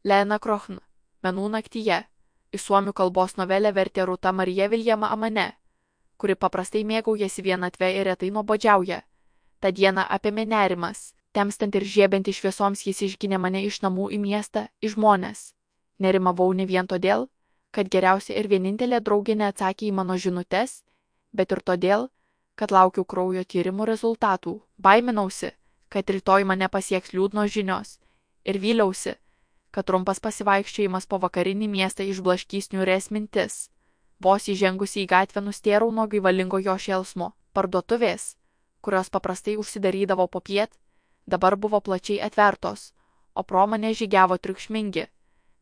Lena Krochn, Menų naktyje. Iš suomių kalbos novelę vertė Rūta Marija Viljama Amane, kuri paprastai mėgaujasi vienatve ir retai nuobodžiauja. Ta diena apėmė nerimas. Temstant ir žiebiant šviesoms jis išginė mane iš namų į miestą, į žmones. Nerimavau ne vien todėl, kad geriausia ir vienintelė draugė neatsakė į mano žinutes, bet ir todėl, kad laukiau kraujo tyrimų rezultatų. Baiminausi, kad rytoj mane pasieks liūdnos žinios. Ir vyliausi, kad trumpas pasivaikščiojimas po vakarinį miestą išblaškys niūres mintis. Vos įžengusi į gatvę nustėrau nuo gaivalingo jo šėlsmo. Parduotuvės, kurios paprastai užsidarydavo popiet, dabar buvo plačiai atvertos, o pro mane žygiavo triukšmingi,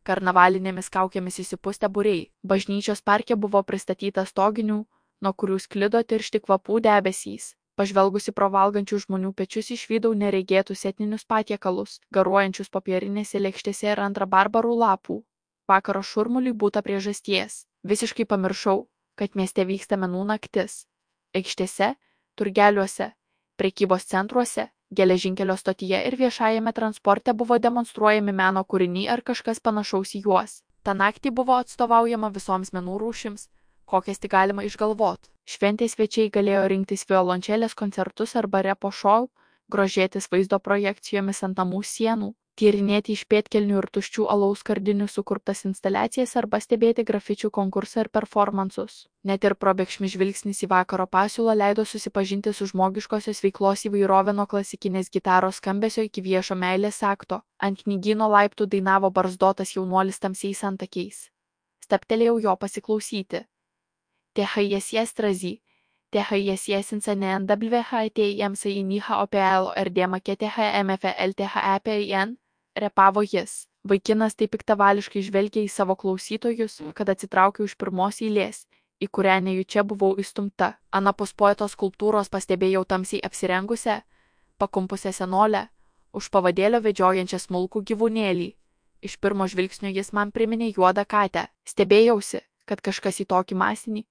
karnavalinėmis kaukėmis įsipustę būriai. Bažnyčios parke buvo pristatyta stoginių, nuo kurių sklido tiršti kvapų debesys. Pažvelgusi pro valgančių žmonių pečius išvydau neregėtus etninius patiekalus, garuojančius popierinėse lėkštėse ir ant rabarbarų lapų. Vakaro šurmuliui būta priežasties. Visiškai pamiršau, kad mieste vyksta menų naktis. Aikštėse, turgeliuose, prekybos centruose, geležinkelio stotyje ir viešajame transporte buvo demonstruojami meno kūriniai ar kažkas panašaus į juos. Ta naktį buvo atstovaujama visoms menų rūšims, kokias tik galima išgalvot. Šventės svečiai galėjo rinktis violončelės koncertus arba repo šou, grožėtis vaizdo projekcijomis ant namų sienų, tyrinėti iš pėdkelnių ir tuščių alaus skardinių sukurtas instaliacijas arba stebėti grafičių konkursą ir performansus. Net ir probėgšmis žvilgsnis į vakaro pasiūlą leido susipažinti su žmogiškosios veiklos įvairovė nuo klasikinės gitaros skambesio iki viešo meilės akto. Ant knygyno laiptų dainavo barzdotas jaunuolis tamsiais antakiais. Stabtelėjau jo pasiklausyti. THSStrazy, THSSNWHTMSINIHOPLORDMAKTHMFLTHEPIN, repavo jis. Vaikinas taip piktavališkai žvelgė į savo klausytojus, kad atsitraukiau iš pirmos eilės, į kurią nejučia buvau įstumta. Anapus poeto skulptūros pastebėjau tamsiai apsirengusią, pakumpusią senolę, už pavadėlio vedžiojančią smulkų gyvūnėlį. Iš pirmo žvilgsnio jis man priminė juodą katę. Stebėjausi, kad kažkas į tokį masinį,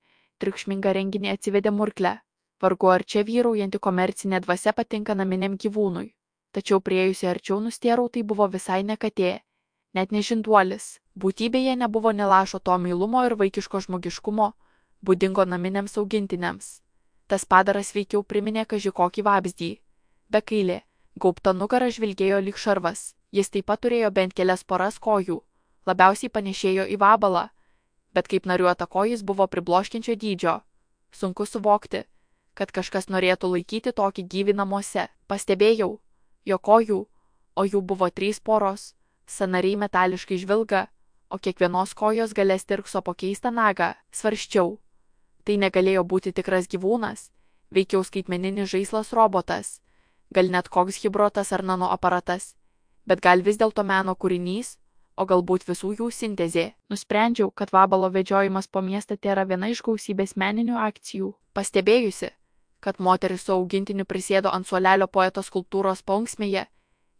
triukšmingą renginį atsivedė murklę. Vargu ar čia vyraujanti komercinė dvasia patinka naminiam gyvūnui. Tačiau priėjusi arčiau nustėrau, tai buvo visai ne katė, net ne žinduolis. Būtybėje nebuvo nė lašo to meilumo ir vaikiško žmogiškumo, būdingo naminiams augintiniams. Tas padaras veikiau priminė kaži kokį vabzdį. Bekailė, gaubta nugara žvilgėjo lyg šarvas. Jis taip pat turėjo bent kelias poras kojų, labiausiai panėšėjo į vabalą, bet kaip nariuota kojis buvo pribloškiančio dydžio. Sunku suvokti, kad kažkas norėtų laikyti tokį gyvį namuose. Pastebėjau, jo kojų, o jų buvo 3 poros, sąnariai metališkai žvilga, o kiekvienos kojos gale stirkso po keistą nagą. Svarsčiau. Tai negalėjo būti tikras gyvūnas, veikiau skaitmeninis žaislas robotas, gal net koks hibrotas ar nanoaparatas, bet gal vis dėlto meno kūrinys, o galbūt visų jų sintezė. Nusprendžiau, kad vabalo vedžiojimas po miestą tėra viena iš gausybės meninių akcijų. Pastebėjusi, kad moteris su augintiniu prisėdo ant suolelio poeto skulptūros paunksmėje,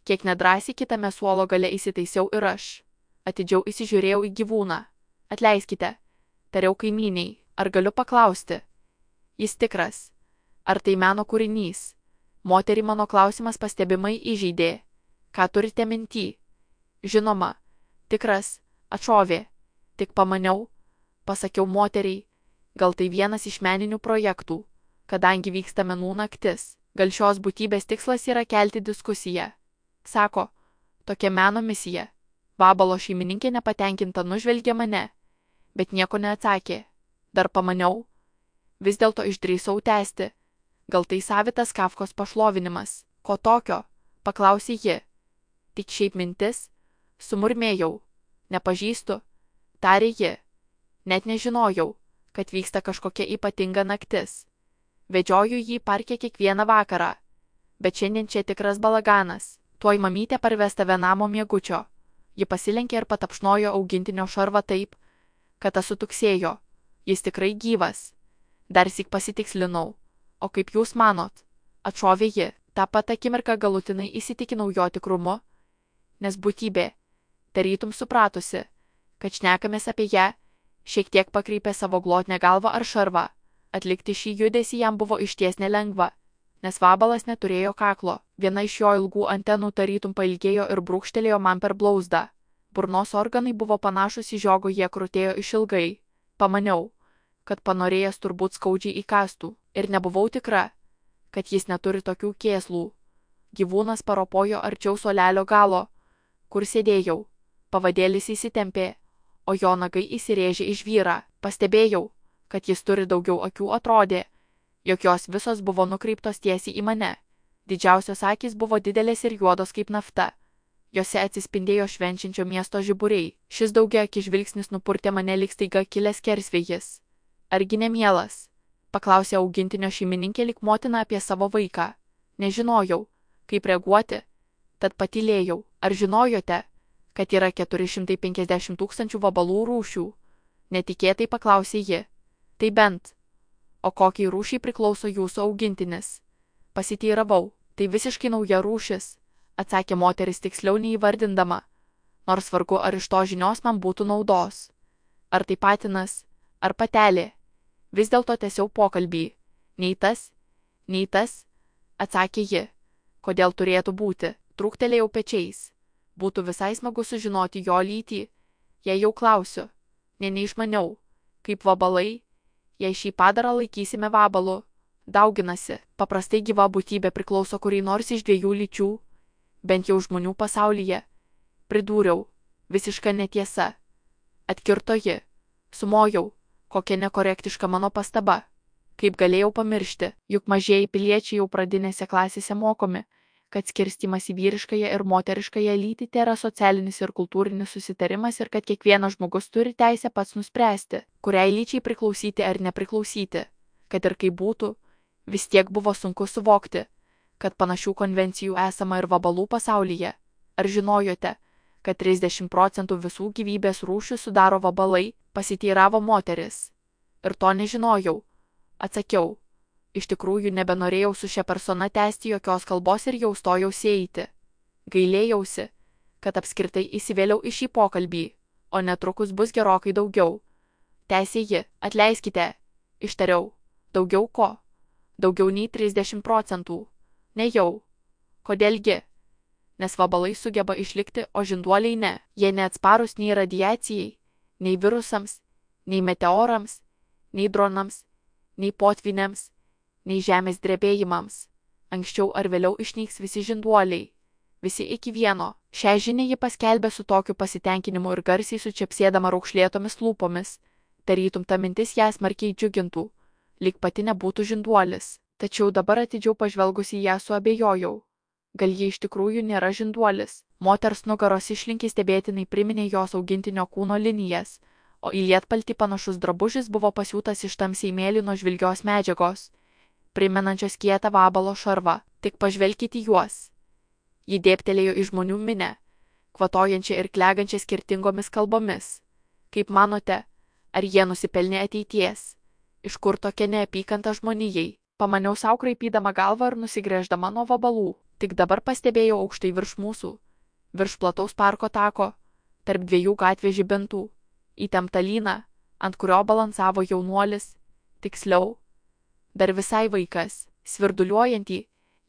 kiek nedrąsiai kitame suolo gale įsitaisiau ir aš. Atidžiau įsižiūrėjau į gyvūną. Atleiskite, tariau kaimyniai, ar galiu paklausti? Jis tikras. Ar tai meno kūrinys? Moterį mano klausimas pastebimai įžeidė. Ką turite minty? Žinoma, tikras, atšovė. Tik pamaniau, pasakiau moteriai, gal tai vienas iš meninių projektų, kadangi vyksta menų naktis. Gal šios būtybės tikslas yra kelti diskusiją. Sako, tokia meno misija. Vabalo šeimininkė nepatenkinta nužvelgė mane, bet nieko neatsakė. Dar pamaniau, vis dėlto išdrįsau tęsti. Gal tai savitas Kafkos pašlovinimas? Ko tokio? Paklausė ji. Tik šiaip mintis? Sumurmėjau. Nepažįstu, tarė ji. Net nežinojau, kad vyksta kažkokia ypatinga naktis. Vedžioju jį parke kiekvieną vakarą. Bet šiandien čia tikras balaganas. Tuoj mamytė parves tave namo miegučio. Ji pasilenkė ir patapšnojo augintinio šarvą taip, kad tas sutuksėjo. Jis tikrai gyvas. Darsyk pasitikslinau. O kaip jūs manot? Atšovė ji. Ta pat akimirką galutinai įsitikinau jo tikrumu, nes būtybė, tarytum supratusi, kad šnekamės apie ją, šiek tiek pakreipė savo glotnią galvą ar šarvą. Atlikti šį judesį jam buvo išties nelengva, nes vabalas neturėjo kaklo. Viena iš jo ilgų antenų tarytum pailgėjo ir brūkštelėjo man per blauzdą. Burnos organai buvo panašus į žiogo, jie krutėjo išilgai. Pamaniau, kad panorėjęs turbūt skaudžiai įkastų, ir nebuvau tikra, kad jis neturi tokių kėslų. Gyvūnas paropojo arčiau suolelio galo, kur sėdėjau. Pavadėlis įsitempė, o jo nagai įsirėžė į žvyrą. Pastebėjau, kad jis turi daugiau akių, atrodė, jog jos visos buvo nukreiptos tiesiai į mane. Didžiausios akys buvo didelės ir juodos kaip nafta. Jose atsispindėjo švenčiančio miesto žiburiai. Šis daugiaakis žvilgsnis nupurtė mane lyg staiga kilęs skersvėjis. Argi nemielas? Paklausė augintinio šeimininkė lyg motina apie savo vaiką. Nežinojau, kaip reaguoti, tad patylėjau. Ar žinojote, kad yra 450 000 vabalų rūšių? Netikėtai paklausė ji. Tai bent. O kokiai rūšiai priklauso jūsų augintinis? Pasiteiravau. Tai visiškai nauja rūšis, atsakė moteris tiksliau neįvardindama, nors vargu ar iš to žinios man būtų naudos. Ar tai patinas, ar patelė? Vis dėlto tęsiau pokalbį. Nei tas, atsakė ji. Kodėl turėtų būti? Trūktelėjau pečiais. Būtų visai smagu sužinoti jo lytį, jei jau klausiu. Neišmaniau, kaip vabalai, jei šį padarą laikysime vabalu. Dauginasi. Paprastai gyva būtybė priklauso kuriai nors iš dviejų lyčių, bent jau žmonių pasaulyje. Pridūriau. Visiška netiesa. Atkirto ji. Sumojau. Kokia nekorektiška mano pastaba. Kaip galėjau pamiršti, juk mažieji piliečiai jau pradinėse klasėse mokomi, kad skirstymas į vyriškąją ir moteriškąją lytį tėra socialinis ir kultūrinis susitarimas ir kad kiekvienas žmogus turi teisę pats nuspręsti, kuriai lyčiai priklausyti ar nepriklausyti. Kad ir kaip būtų, vis tiek buvo sunku suvokti, kad panašių konvencijų esama ir vabalų pasaulyje. Ar žinojote, kad 30% visų gyvybės rūšių sudaro vabalai? Pasiteiravo moteris. Ir to nežinojau. Atsakiau. Iš tikrųjų nebenorėjau su šia persona tęsti jokios kalbos ir jau stojausi eiti. Gailėjausi, kad apskritai įsivėliau į šį pokalbį, o netrukus bus gerokai daugiau. Tęsė ji. Atleiskite, ištariau. Daugiau ko? Daugiau nei 30%. Nejau. Kodėlgi? Nes vabalai sugeba išlikti, o žinduoliai ne. Jie neatsparūs nei radiacijai, nei virusams, nei meteorams, nei dronams, nei potvyniams, nei žemės drebėjimams. Anksčiau ar vėliau išnyks visi žinduoliai. Visi iki vieno. Šią žinią ji paskelbė su tokiu pasitenkinimu ir garsiai sučepsėdama raukšlėtomis lūpomis. Tarytum ta mintis ją smarkiai džiugintų, lyg pati nebūtų žinduolis. Tačiau dabar atidžiau pažvelgusi į ją suabejojau. Gal ji iš tikrųjų nėra žinduolis? Moters nugaros išlinkiai stebėtinai priminė jos augintinio kūno linijas, o į lietpaltį panašus drabužis buvo pasiūtas iš tamsiai mėlynos žvilgios medžiagos, primenančios kietą vabalo šarvą. Tik pažvelkite juos. Ji dėbtelėjo į žmonių minę, kvatojančią ir klegančią skirtingomis kalbomis. Kaip manote, ar jie nusipelnė ateities? Iš kur tokia neapykanta žmonijai? Pamaniau sau kraipydama galvą ir nusigręždama nuo vabalų. Tik dabar pastebėjau aukštai virš mūsų, virš plataus parko tako, tarp dviejų gatvės žibintų, įtemptą lyną, ant kurio balansavo jaunuolis, tiksliau, dar visai vaikas, svirduliuojantį,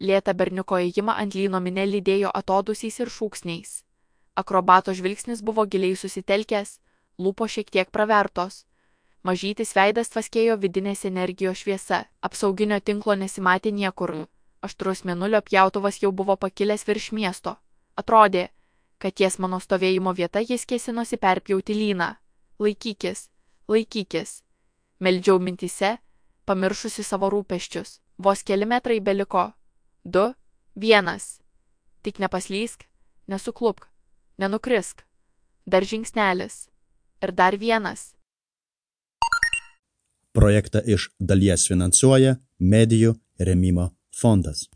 lėtą berniuko ėjimą ant lyno minė lydėjo atodusiais ir šūksniais. Akrobato žvilgsnis buvo giliai susitelkęs, lūpos šiek tiek pravertos. Mažytis veidas tvaskėjo vidinės energijos šviesa, apsauginio tinklo nesimatė niekur. Aštrus mėnulio pjautuvas jau buvo pakilęs virš miesto. Atrodė, kad ties mano stovėjimo vieta jis kėsinosi perpjauti lyną. Laikykis, laikykis. Meldžiau mintyse, pamiršusi savo rūpesčius. Vos keli metrai beliko. 2, 1. Tik nepaslysk, nesuklupk, nenukrisk. Dar žingsnelis. Ir dar vienas. Projektą iš dalies finansuoja Medijų rėmimo fondas.